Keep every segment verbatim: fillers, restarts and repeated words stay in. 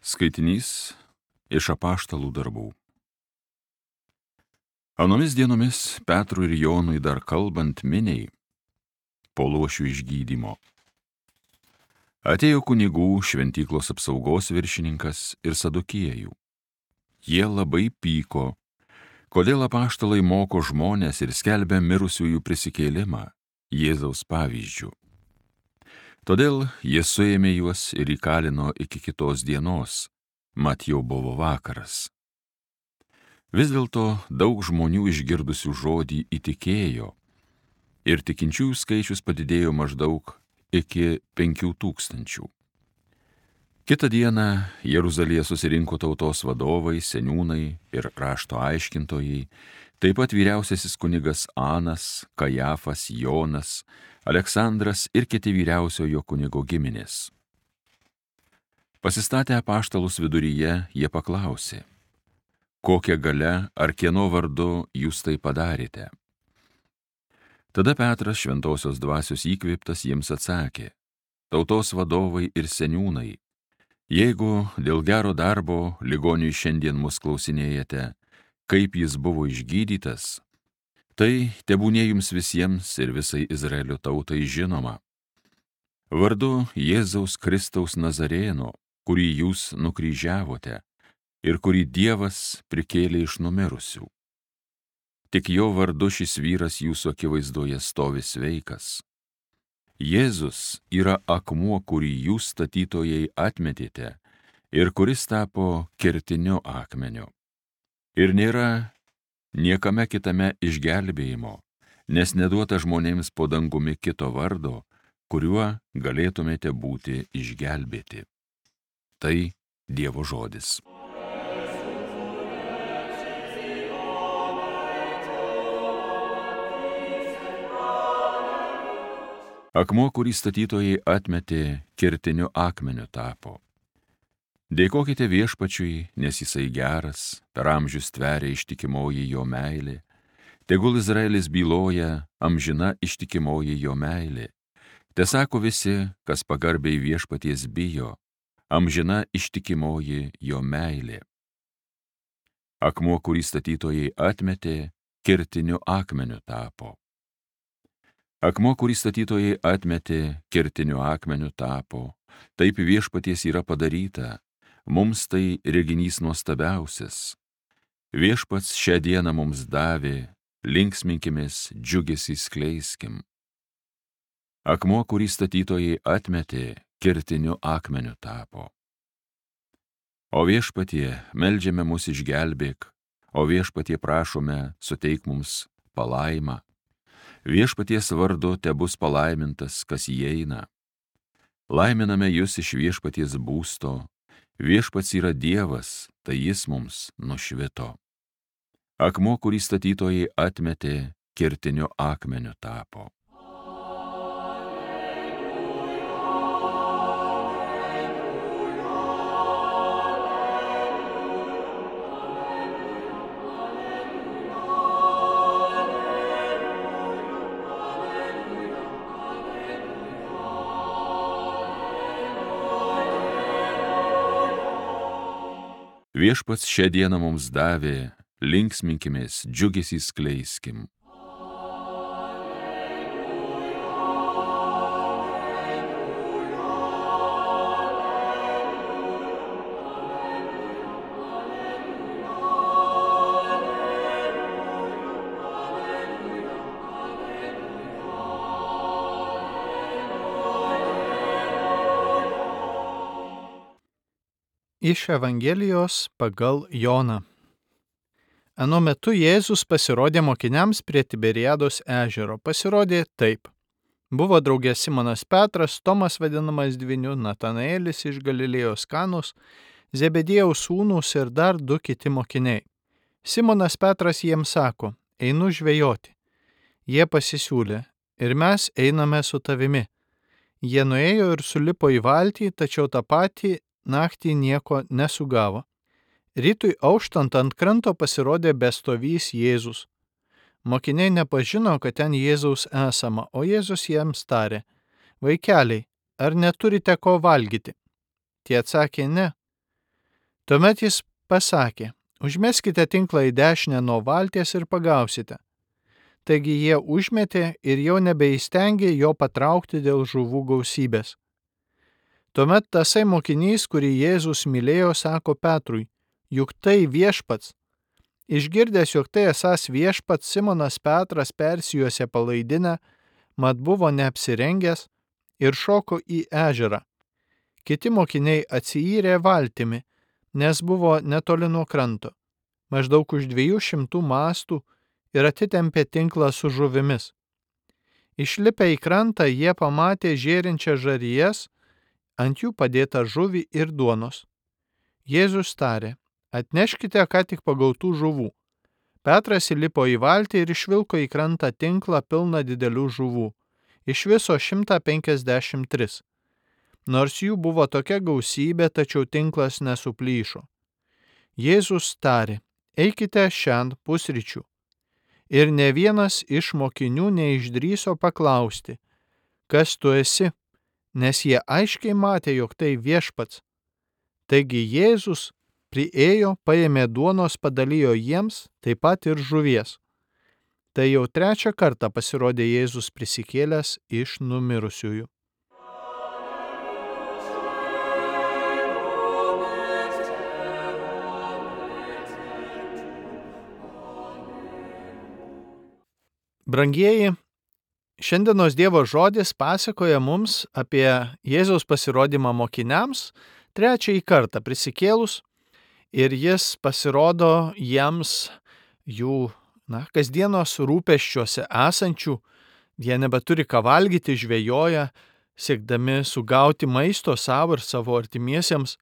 Skaitinys iš Apaštalų darbų. Anomis dienomis Petrui ir Jonui dar kalbant miniai po luošių išgydymo atėjo kunigų šventyklos apsaugos viršininkas ir sadukiejų. Jie labai pyko, kodėl apaštalai moko žmones ir skelbia mirusiųjų prisikėlimą Jėzaus pavyzdžių. Todėl jie suėmė juos ir įkalino iki kitos dienos, mat jau buvo vakaras. Vis dėlto daug žmonių išgirdusių žodį įtikėjo ir tikinčiųjų skaičius padidėjo maždaug iki penkių tūkstančių. Kitą dieną Jeruzalėje susirinko tautos vadovai, seniūnai ir rašto aiškintojai, taip pat vyriausiasis kunigas Anas, Kajafas, Jonas, Aleksandras ir kiti vyriausiojo kunigo giminės. Pasistatę apaštalus viduryje, jie paklausė, kokia galia ar kieno vardu jūs tai padarėte? Tada Petras šventosios dvasios įkvėptas jiems atsakė, tautos vadovai ir seniūnai, jeigu dėl gero darbo ligoniui šiandien mus klausinėjate, kaip jis buvo išgydytas, tai tebūnie jums visiems ir visai Izraelio tautai žinoma. Vardu Jėzaus Kristaus Nazarėno, kurį jūs nukryžiavote ir kurį Dievas prikėlė iš numirusių. Tik jo vardu šis vyras jūsų akivaizdoje stovi sveikas. Jėzus yra akmuo, kurį jūs statytojai atmetėte ir kuris tapo kertiniu akmeniu. Ir nėra niekame kitame išgelbėjimo, nes neduota žmonėms po dangumi kito vardo, kuriuo galėtumėte būti išgelbėti. Tai Dievo žodis. Akmuo, kurį statytojai atmetė, kertiniu akmeniu tapo. Dėkokite viešpačiui, nes jisai geras, per amžius tveria ištikimoji jo meilė. Tegul Izraelis byloja, amžina ištikimoji jo meilė. Tesako visi, kas pagarbiai viešpaties bijo, amžina ištikimoji jo meilė. Akmuo, kurį statytojai atmetė, kertiniu akmeniu tapo. Akmuo, kurį statytojai atmetė, kertiniu akmeniu tapo. Taip viešpaties yra padaryta. Mums tai reginys nuostabiausias. Viešpats šią dieną mums davė, linksminkimės, džiugesį skleiskim. Akmuo, kurį statytojai atmetė, kertiniu akmeniu tapo. O viešpatie, meldžiame mus išgelbėk, o viešpatie prašome, suteik mums palaimą. Viešpaties vardu tebus palaimintas, kas įeina. Laiminame jūs iš viešpaties būsto. Viešpats yra Dievas, tai jis mums nušvito. Akmuo, kurį statytojai atmetė, kertiniu akmeniu tapo. Viešpats šią dieną mums davė, linksminkimės, džiugesį skleiskim. Iš Evangelijos pagal Joną. Anu metu Jėzus pasirodė mokiniams prie Tiberiados ežero. Pasirodė taip. Buvo draugė Simonas Petras, Tomas vadinamas Dvyniu, Natanaelis iš Galilėjos Kanos, Zebediejaus sūnūs ir dar du kiti mokiniai. Simonas Petras jiems sako, einu žvejoti. Jie pasisiūlė, ir mes einame su tavimi. Jie nuėjo ir sulipo į valtį, tačiau tą patį naktį nieko nesugavo. Rytui auštant ant kranto pasirodė bestovys Jėzus. Mokiniai nepažino, kad ten Jėzaus esama, o Jėzus jiems tarė, vaikeliai, ar neturite ko valgyti? Tie atsakė, ne. Tuomet jis pasakė, užmeskite tinklą į dešinę nuo valties ir pagausite. Taigi jie užmetė ir jau nebeįstengė jo patraukti dėl žuvų gausybės. Tuomet tasai mokinys, kurį Jėzus mylėjo, sako Petrui, juk tai viešpats. Išgirdęs, jog tai esąs viešpats, Simonas Petras persijuosė palaidinę, mat buvo neapsirengęs ir šoko į ežerą. Kiti mokiniai atsiyrė valtimi, nes buvo netoli nuo kranto, maždaug už dviejų šimtų mastų, ir atitempė tinklą su žuvimis. Išlipę į krantą, jie pamatė žėrinčią žarijas, ant jų padėtą žuvį ir duonos. Jėzus tarė, atneškite ką tik pagautų žuvų. Petras įlipo į valtį ir išvilko į krantą tinklą pilną didelių žuvų, iš viso šimtą penkiasdešimt tris. Nors jų buvo tokia gausybė, tačiau tinklas nesuplyšo. Jėzus tarė, eikite šiandien pusryčių. Ir ne vienas iš mokinių neišdryso paklausti, kas tu esi, nes jie aiškiai matė, jog tai viešpats. Taigi Jėzus priėjo, paėmė duonos, padalijo jiems, taip pat ir žuvies. Tai jau trečią kartą pasirodė Jėzus prisikėlęs iš numirusiųjų. Brangieji, šiandienos Dievo žodis pasakoja mums apie Jėzaus pasirodymą mokiniams trečiąjį kartą prisikėlus, ir jis pasirodo jiems jų na, kasdienos rūpesčiuose esančių, jie nebeturi ką valgyti, žvejoja, siekdami sugauti maisto savo ir savo artimiesiems,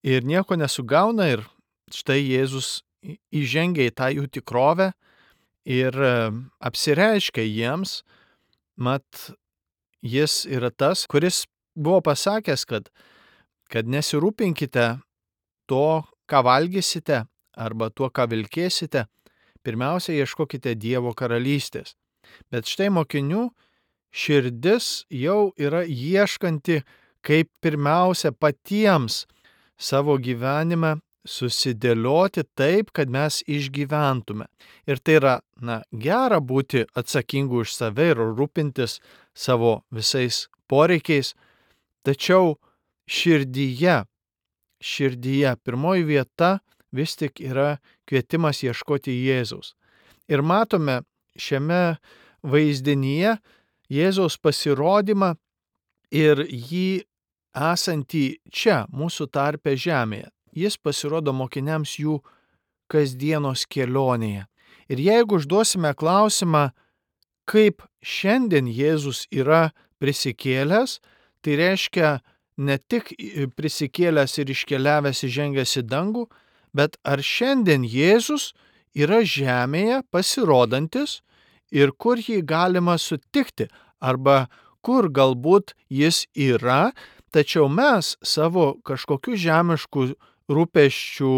ir nieko nesugauna, ir štai Jėzus įžengia į tą jų tikrovę ir apsireiškia jiems, mat jis yra tas, kuris buvo pasakęs, kad, kad nesirūpinkite to, ką valgysite, arba tuo, ką vilkėsite, pirmiausia, ieškokite Dievo karalystės. Bet štai mokinių širdis jau yra ieškanti, kaip pirmiausia patiems savo gyvenime susidėlioti taip, kad mes išgyventume. Ir tai yra, na, gera būti atsakingu už save ir rūpintis savo visais poreikiais, tačiau širdyje, širdyje pirmoji vieta vis tik yra kvietimas ieškoti Jėzaus. Ir matome šiame vaizdinyje Jėzaus pasirodymą ir jį esantį čia, mūsų tarpe žemėje. Jis pasirodo mokiniams jų kasdienos kelionėje. Ir jeigu užduosime klausimą, kaip šiandien Jėzus yra prisikėlęs, tai reiškia ne tik prisikėlęs ir iškeliavęs įžengęs į dangų, bet ar šiandien Jėzus yra žemėje pasirodantis ir kur jį galima sutikti, arba kur galbūt jis yra, tačiau mes savo kažkokių žemiškų rūpesčių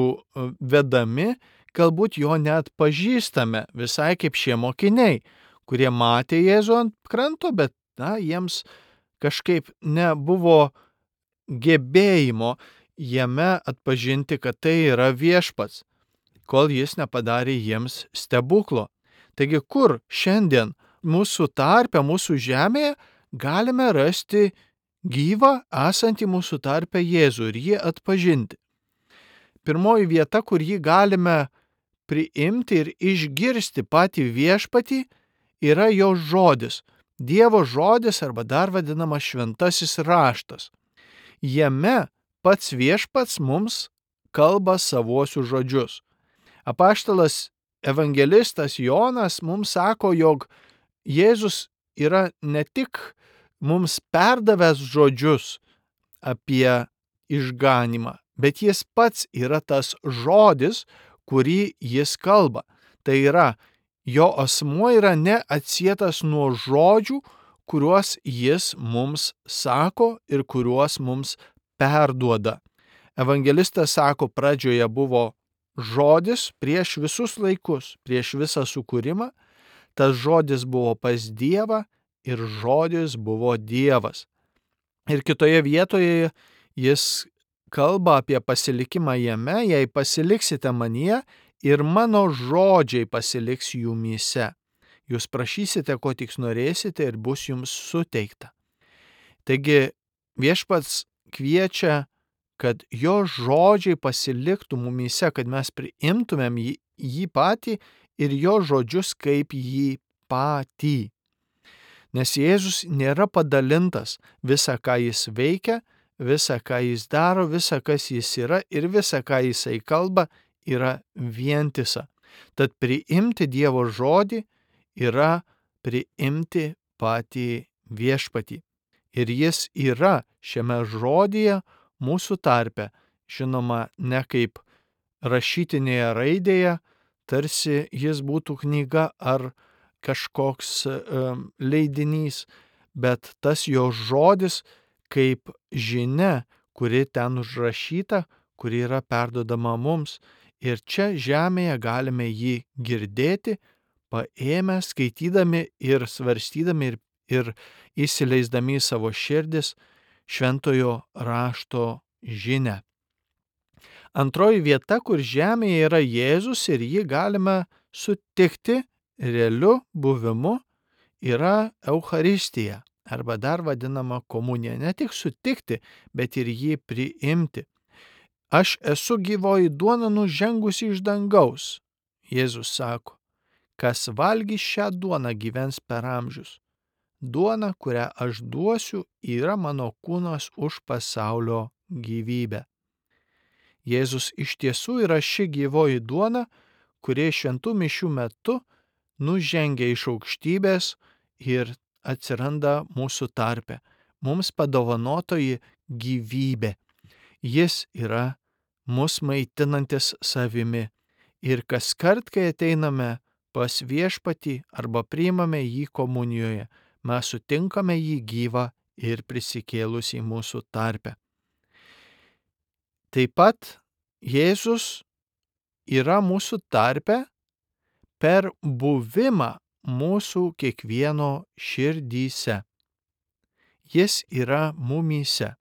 vedami, galbūt jo net pažįstame, visai kaip šie mokiniai, kurie matė Jėzų ant kranto, bet na, jiems kažkaip nebuvo gebėjimo jame atpažinti, kad tai yra viešpats, kol jis nepadarė jiems stebuklo. Taigi, kur šiandien mūsų tarpe, mūsų žemėje galime rasti gyvą esantį mūsų tarpe Jėzų ir jį atpažinti? Pirmoji vieta, kur jį galime priimti ir išgirsti patį viešpatį, yra jo žodis, Dievo žodis arba dar vadinamas šventasis raštas. Jame pats viešpats mums kalba savuosius žodžius. Apaštalas evangelistas Jonas mums sako, jog Jėzus yra ne tik mums perdavęs žodžius apie išganymą, bet jis pats yra tas žodis, kurį jis kalba. Tai yra, jo asmuo yra neatsietas nuo žodžių, kuriuos jis mums sako ir kuriuos mums perduoda. Evangelistas sako, pradžioje buvo žodis prieš visus laikus, prieš visą sukūrimą, tas žodis buvo pas Dievą ir žodis buvo Dievas. Ir kitoje vietoje jis kalba apie pasilikimą jame, jei pasiliksite manyje ir mano žodžiai pasiliks jumyse. Jūs prašysite, ko tik norėsite ir bus jums suteikta. Taigi viešpats kviečia, kad jo žodžiai pasiliktų mumyse, kad mes priimtumėm jį, jį patį ir jo žodžius kaip jį patį. Nes Jėzus nėra padalintas, visą, ką jis veikia, visą, ką jis daro, visą, kas jis yra ir visą, ką jisai kalba, yra vientisa. Tad priimti Dievo žodį yra priimti patį viešpatį. Ir jis yra šiame žodyje mūsų tarpe, žinoma, ne kaip rašytinėje raidėje, tarsi jis būtų knyga ar kažkoks um, leidinys, bet tas jo žodis kaip žinia, kuri ten užrašyta, kuri yra perdodama mums. Ir čia žemėje galime jį girdėti, paėmę, skaitydami ir svarstydami ir, ir įsileisdami į savo širdis šventojo rašto žinią. Antroji vieta, kur žemėje yra Jėzus ir jį galime sutikti realiu buvimu, yra Eucharistija, arba dar vadinama komunija. Ne tik sutikti, bet ir jį priimti. Aš esu gyvoji duona nužengusi iš dangaus, Jėzus sako. Kas valgys šią duoną gyvens per amžius. Duona, kurią aš duosiu, yra mano kūnas už pasaulio gyvybę. Jėzus iš tiesų yra ši gyvoji duona, kurie šventų mišių metu nužengia iš aukštybės ir atsiranda mūsų tarpe, mums padovanotoji gyvybė. Jis yra mus maitinantis savimi ir kaskart, kai ateiname pas viešpatį arba priimame jį komunijoje, mes sutinkame jį gyvą ir prisikėlusį mūsų tarpe. Taip pat Jėzus yra mūsų tarpe per buvimą mūsų kiekvieno širdyse. Jis yra mumyse.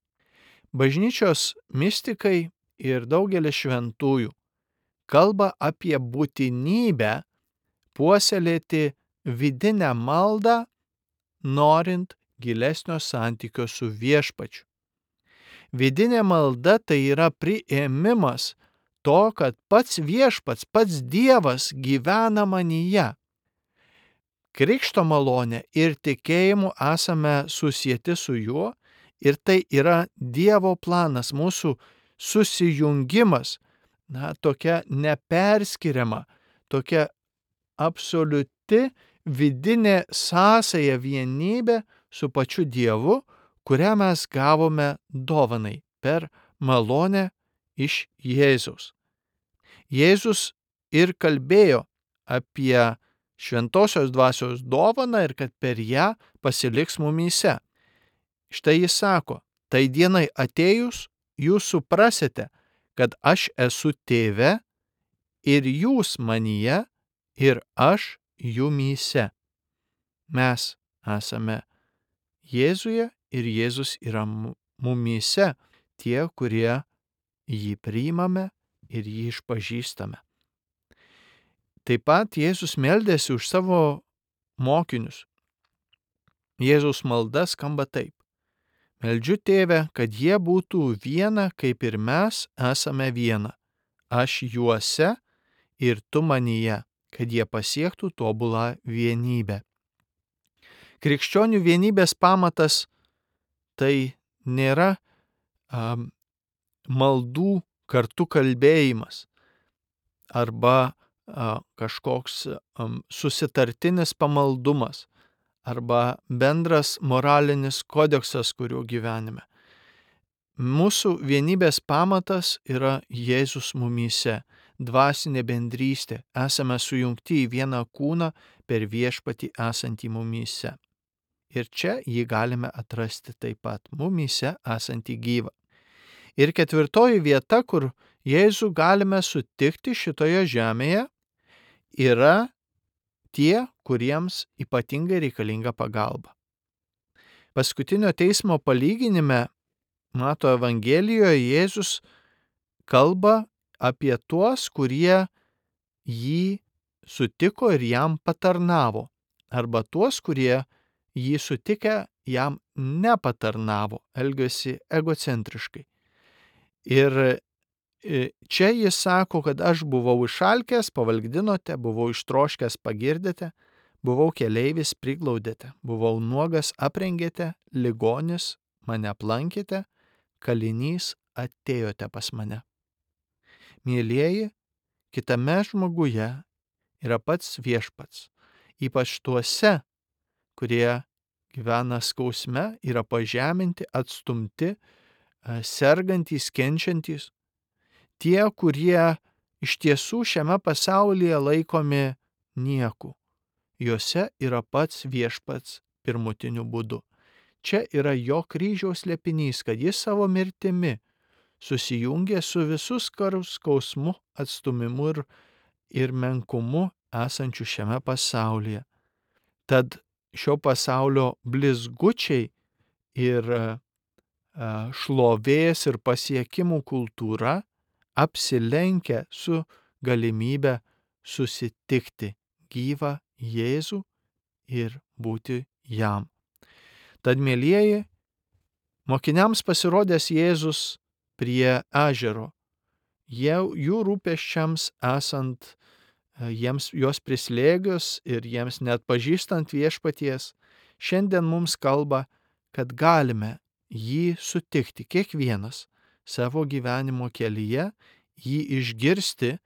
Bažnyčios mistikai ir daugelis šventųjų kalba apie būtinybę puoselėti vidinę maldą, norint gilesnio santykio su viešpačiu. Vidinė malda tai yra priėmimas to, kad pats viešpats, pats Dievas gyvena manyje. Krikšto malonė ir tikėjimu esame susieti su juo ir tai yra Dievo planas, mūsų susijungimas, na, tokia neperskiriama, tokia absoliuti vidinė sąsaja vienybė su pačiu Dievu, kurią mes gavome dovanai per malonę iš Jėzaus. Jėzus ir kalbėjo apie šventosios dvasios dovaną ir kad per ją pasiliks mumyse. Štai jis sako, tai dienai atėjus jūs suprasite, kad aš esu tėve ir jūs manyje ir aš jumyse. Mes esame Jėzuje ir Jėzus yra mumyse, tie, kurie jį priimame ir jį išpažįstame. Taip pat Jėzus meldėsi už savo mokinius. Jėzaus malda skamba taip. Meldžiu Tėve, kad jie būtų viena, kaip ir mes esame viena. Aš juose ir tu manyje, kad jie pasiektų tobulą vienybę. Krikščionių vienybės pamatas tai nėra um, maldų kartu kalbėjimas arba uh, kažkoks um, susitartinis pamaldumas arba bendras moralinis kodeksas, kuriuo gyvenime. Mūsų vienybės pamatas yra Jėzus mumyse, dvasinė bendrystė, esame sujungti į vieną kūną per viešpatį esantį mumyse. Ir čia jį galime atrasti taip pat, mumyse esantį gyvą. Ir ketvirtoji vieta, kur Jėzų galime sutikti šitoje žemėje, yra tie, kuriems ypatingai reikalinga pagalba. Paskutinio teismo palyginime Mato Evangelijoje Jėzus kalba apie tuos, kurie jį sutiko ir jam patarnavo, arba tuos, kurie jį sutikę jam nepatarnavo, elgėsi egocentriškai. Ir čia jis sako, kad aš buvau išalkęs, pavalgdinote, buvau ištroškęs, pagirdėte, buvau keleivis, priglaudėte, buvau nuogas, aprengėte, ligonis, mane aplankėte, kalinys, atėjote pas mane. Mėlieji, kitame žmoguje yra pats viešpats, ypač tuose, kurie gyvena skausme, yra pažeminti, atstumti, sergantys, kenčiantys. Tie, kurie iš tiesų šiame pasaulyje laikomi nieku. Juose yra pats viešpats pirmutiniu būdu. Čia yra jo kryžiaus slėpinys, kad jis savo mirtimi susijungė su visus skausmu, atstumimu ir, ir menkumu esančiu šiame pasaulyje. Tad šio pasaulio blizgučiai ir šlovės ir pasiekimų kultūra apsilenkia su galimybė susitikti gyvą Jėzų ir būti jam. Tad, mielieji, mokiniams pasirodęs Jėzus prie ežero, jie, jų rūpesčiams esant, jiems juos prislėgius ir jiems net pažįstant viešpaties, šiandien mums kalba, kad galime jį sutikti kiekvienas savo gyvenimo kelyje, jį išgirsti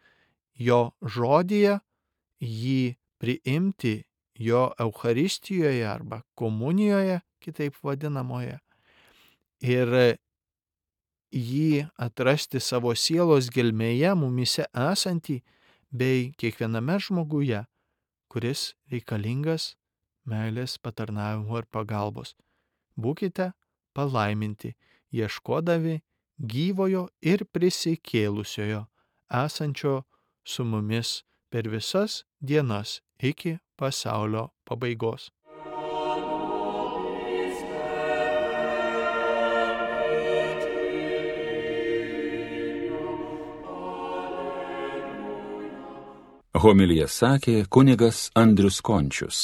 jo žodyje, jį priimti jo Eucharistijoje arba komunijoje, kitaip vadinamoje, ir jį atrasti savo sielos gelmėje, mumise esantį, bei kiekviename žmoguje, kuris reikalingas meilės, patarnavimo ir pagalbos. Būkite palaiminti, ieškodami gyvojo ir prisikėlusiojo, esančio su mumis per visas dienas iki pasaulio pabaigos. Homiliją sakė kunigas Andrius Končius.